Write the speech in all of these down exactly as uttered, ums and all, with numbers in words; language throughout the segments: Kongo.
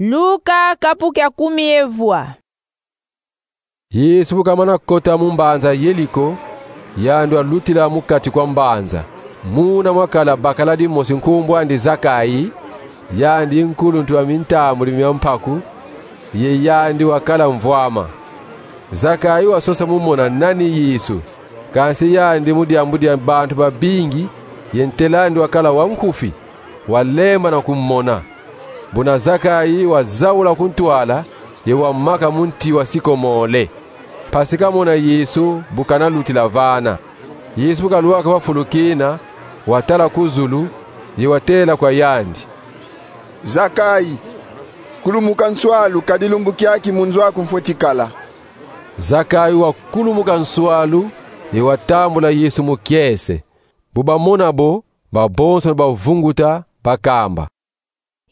Luka kapu kia kumi ye vwa. Yesu bu kamana kota mu mbanza Yeliko, yandi walutila mu kati kwa mbanza. Muna mwakala bakala dimosi nkumbu andi Zakai, yandi nkuluntu wa mintambudi mia mpaku, ye yandi wakala mvwama. Zakai wasosa mu mona nani Yesu, kansi yandi mu diambu dia bantu babingi, ye ntela andi wakala wa nkufi, walembana kumona. Buna Zakai wazaula ku ntwala, ye wamaka mu nti wa sikomole, mpasi kamona Yesu bu kanalutila vana. Yesu bu kalwaka va fulu kina, watala ku zulu, ye watela kwa yandi: Zakai, kulumuka nswalu, kadi lumbu kiaki mu nzo aku mfweti kala. Zakai wakulumuka nswalu, ye watambula Yesu mu kiese. Bu bamona bo, babonsono bavunguta, bakamba: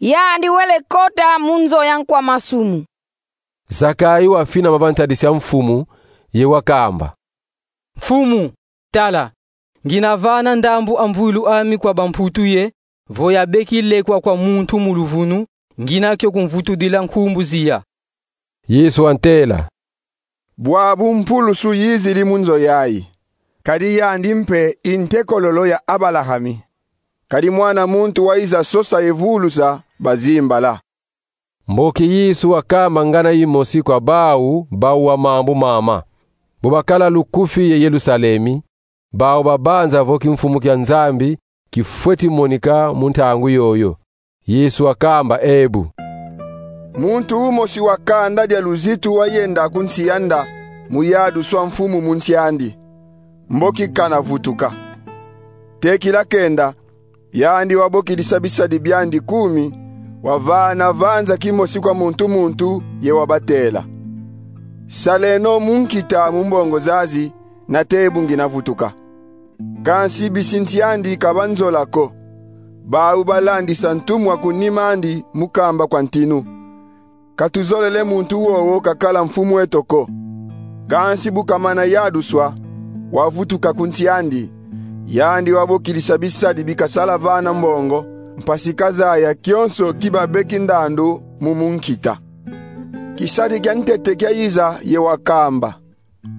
Yandi wele kota mu nzo ya nkwa masumu. Zakai wafinama va ntadisi a Mfumu, ye wakamba: Mfumu, tala, ngina vana ndambu a mvwilu ami kwa bamputu ye, vo yabeki lekwa kwa muntu mu luvunu, ngina kio kumvutudila nkumbu ziya. Yesu wantela: Bwabu mpulusu yizidi mu nzo yayi, kadi yandi mpe i ntekololo ya Abalahami. Kadi Mwana muntu wayiza sosa ye vulusa bazimbala. Mboki Yesu wakamba ngana yimosi kwa bau bawa mambu mama. Bu bakala lukufi ye Yelusalemi, bau babanza vo kimfumu kia Nzambi kifweti monika mu ntangu yoyo. Yesu wakamba ebu: Muntu umosi wa kanda dia luzitu wayenda ku nsi ya nda mu yaduswa mfumu mu nsi andi. Mboki kana vutuka. Tekila kenda, yandi wabokidisa bisadi biandi kumi, wavana vanza kimosi kwa muntu muntu, ye wabatela: Saleno munkita mu mbongo zazi, nate bu ngina vutuka. Kansi bisi nsi andi ka banzola ko. Bau balandisa ntumwa ku nima andi mu kamba kwa ntinu: Katuzolele muntu wowo kakala mfumu eto ko. Kansi bu kamana yaduswa, wavutuka ku nsi andi. Yandi wabokidisa bisadi bi kasala vana mbongo, mpasi kazaya kionso ki babeki ndandu mu munkita. Kisadi kia ntete kiayiza ye wakamba: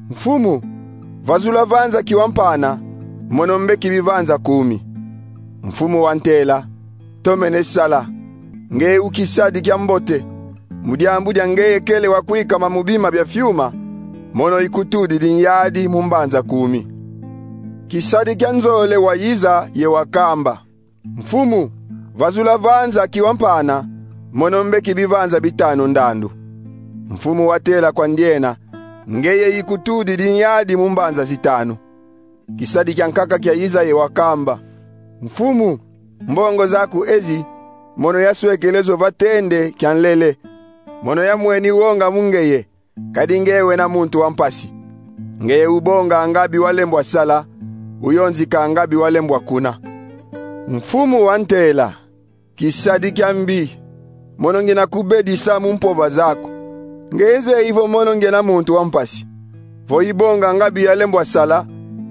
Mfumu, vazula vanza ki wampana, mono mbeki bivanza kumi. Mfumu wantela: Tomene sala, ngeye u kisadi kia mbote. Mu diambu dia ngeye kele wa kwikama mu bima bia fiuma, mono ikutudidi nyadi mu mbanza kumi. Kisadi kia nzole wayiza ye wakamba: Mfumu, vazula vanza ki wampana, mono mbeki bivanza bitanu ndandu. Mfumu watela kwa ndiena: Ngeye ikutudidi nyadi mu mbanza zitanu. Kisadi kia nkaka kiayiza ye wakamba: Mfumu, mbongo zaku ezi, mono yaswekele zo va tende kia nlele. Mono yamweni wonga mu ngeye, kadi ngeye wena muntu wa mpasi. Ngeye ubonga nga bi walembwa sala, uyonzika nga bi walembwa kuna. Mfumu wantela: Kisadi kia mbi, mono ngina kubedisa mu mpova zaku. Ngeye zeyi vo mono ngena muntu wa mpasi, vo ibonga nga bi yalembwa sala,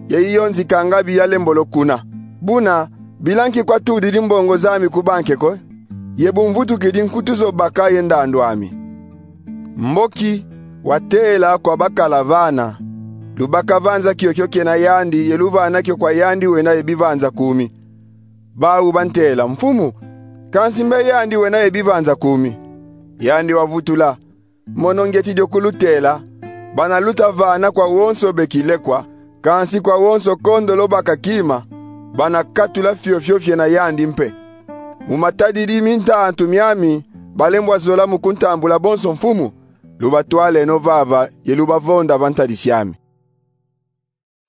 ye iyonzika nga bi yalembolo kuna. Buna, bila nki kwatudidi mbongo zami ku banke ko, ye bu mvutukidi nkutu zo baka ye ndandu ami? Mboki watela kwa bakala vana: Lubaka vanza kiokio kena yandi ye luvana kio kwa yandi wena ye bivanza kumi. Bau bantela: Mfumu, kansi mbe yandi wena ye bivanza kumi? Yandi wavutula: Mono ngieti dio kulutela, bana luta vana kwa wonso beki lekwa, kansi kwa wonso kondolo baka kima, bana katula fiofio fiena yandi mpe. Mu matadidi mintantu miami, balembwa zola mu kuntambula bonso mfumu, lubatwaleno vava ye lubavonda va ntadisi ami.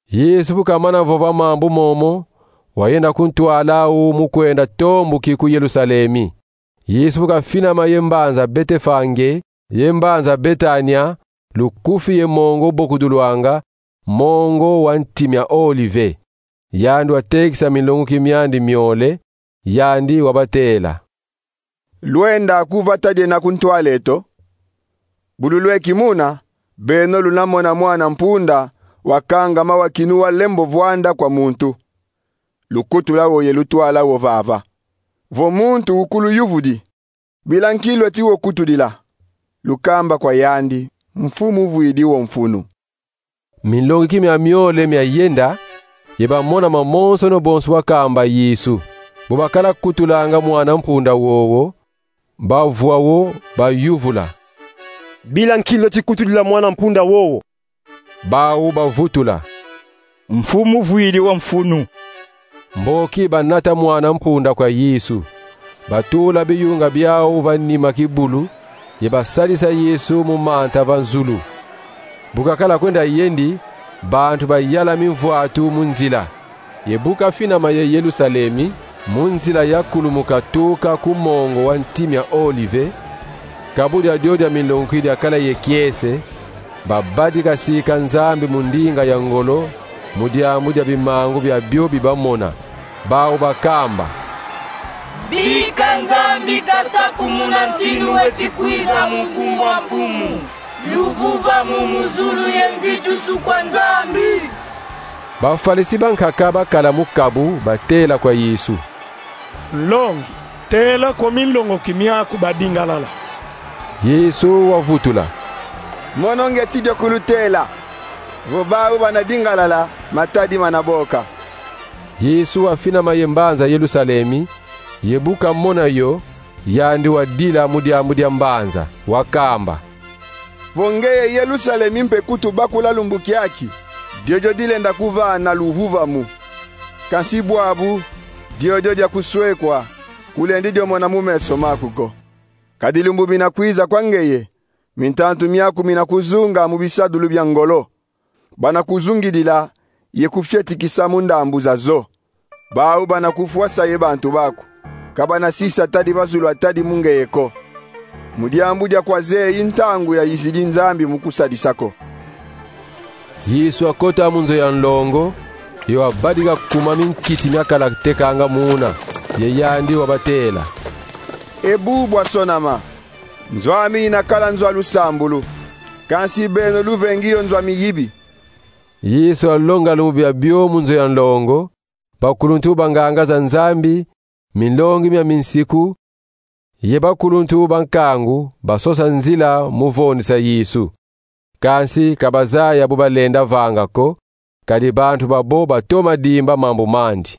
Yesu bu kamana vova mambu momo, wayenda ku ntwala au mu kwenda tombuki ku Yelusalemi. Yesu bu kafinama ye mbanza Betefage ye mbanza Betania, lukufi ye mongo ubokudulwanga, mongo wa nti mia Olive. Yandi watekisa minlonguki miandi miole, yandi wabatela: Lwenda ku vata diena ku ntwala eto? Bu lulweki muna, beno luna mona Mwana Mpunda wakangama wa kinu walembo vwanda kwa muntu. Lukutula wo ye lutwala wo vava. Vo muntu ukuluyuvudi: Bila nki lweti wo kutudila? Lukamba kwa yandi: Mfumu vwidi wo mfunu. Minlongi ki mia miole mia yenda, ye bamona mamonsono bonso wakamba Yesu. Bu bakala kutulanga mwana mpunda wowo, bavwa wo, bayuvula: Bila nki lweti kutudila mwana mpunda wowo? Bau bavutula: Mfumu vwidi wo mfunu. Mboki banata mwana mpunda kwa Yesu, batula biyunga biau va nima kibulu, ye basadisa Yesu mu manta va zulu. Bu kakala kwenda yendi, bantu bayala mimvwatu mu nzila. Ye bu kafinama ye Yerusalemi, mu nzila ya kulumuka tuka ku mongo wa nti mia Olive, kabu diadio dia minlongi ki diakala ye kiese, babadika sika Nzambi mu ndinga ya ngolo, mu diambu dia bimangu biabio bi bamona. Bau bakamba: Bika Nzambi kasakumuna ntinu weti kwiza mu nkumbu a Mfumu. Luvuvamu mu zulu ye nzitusu kwa Nzambi. Bafalisi bankaka bakala mu kabu batela kwa Yesu: Nlongi, tela ko minlongoki miaku badingalala. Yesu wavutula: Mono ngeti dio kulutela, vo bau bana dingalala, matadi mana boka. Yesu wafinama ye mbanza Yerusalemi, ye bu kamona yo, yandi wadila mu diambu dia mbanza, wakamba: Vo ngeye Yerusalemi mpe kutubakula lumbu kiaki, diodio dilenda kuvana luvuvamu. Kansi bwabu, diodio dia kuswekwa, kulendi dio mona mu meso maku ko. Kadi lumbu mina kwiza kwa ngeye, mintantu miaku mina kuzunga mu bisadulu bia ngolo. Bana kuzungidila ye kufyetikisa mu ndambu zazo. Bau bana kufwasa ye bantu baku, ka bana sisa tadi va zulu atadi mu ngeye ko. Mu diambu dia kwa zeyi ntangu yayizidi Nzambi mu kusadisa ko. Yesu wakota mu nzo ya nlongo, ye wabadika kuma minkiti miakala tekanga muna, ye yandi wabatela: E bu bwasonama, nzo ami yina kala nzo a lusambulu, kansi beno luvengi yo nzo a miyibi. Yesu walonga lumbu biabio mu nzo ya nlongo, bakuluntu banganga za Nzambi, minlongi mia minsiku, ye bakuluntu ba nkangu basosa nzila mu vondisa Yesu. Kansi ka bazaya bu balenda vanga ko, kadi bantu babo batoma dimba mambu mandi.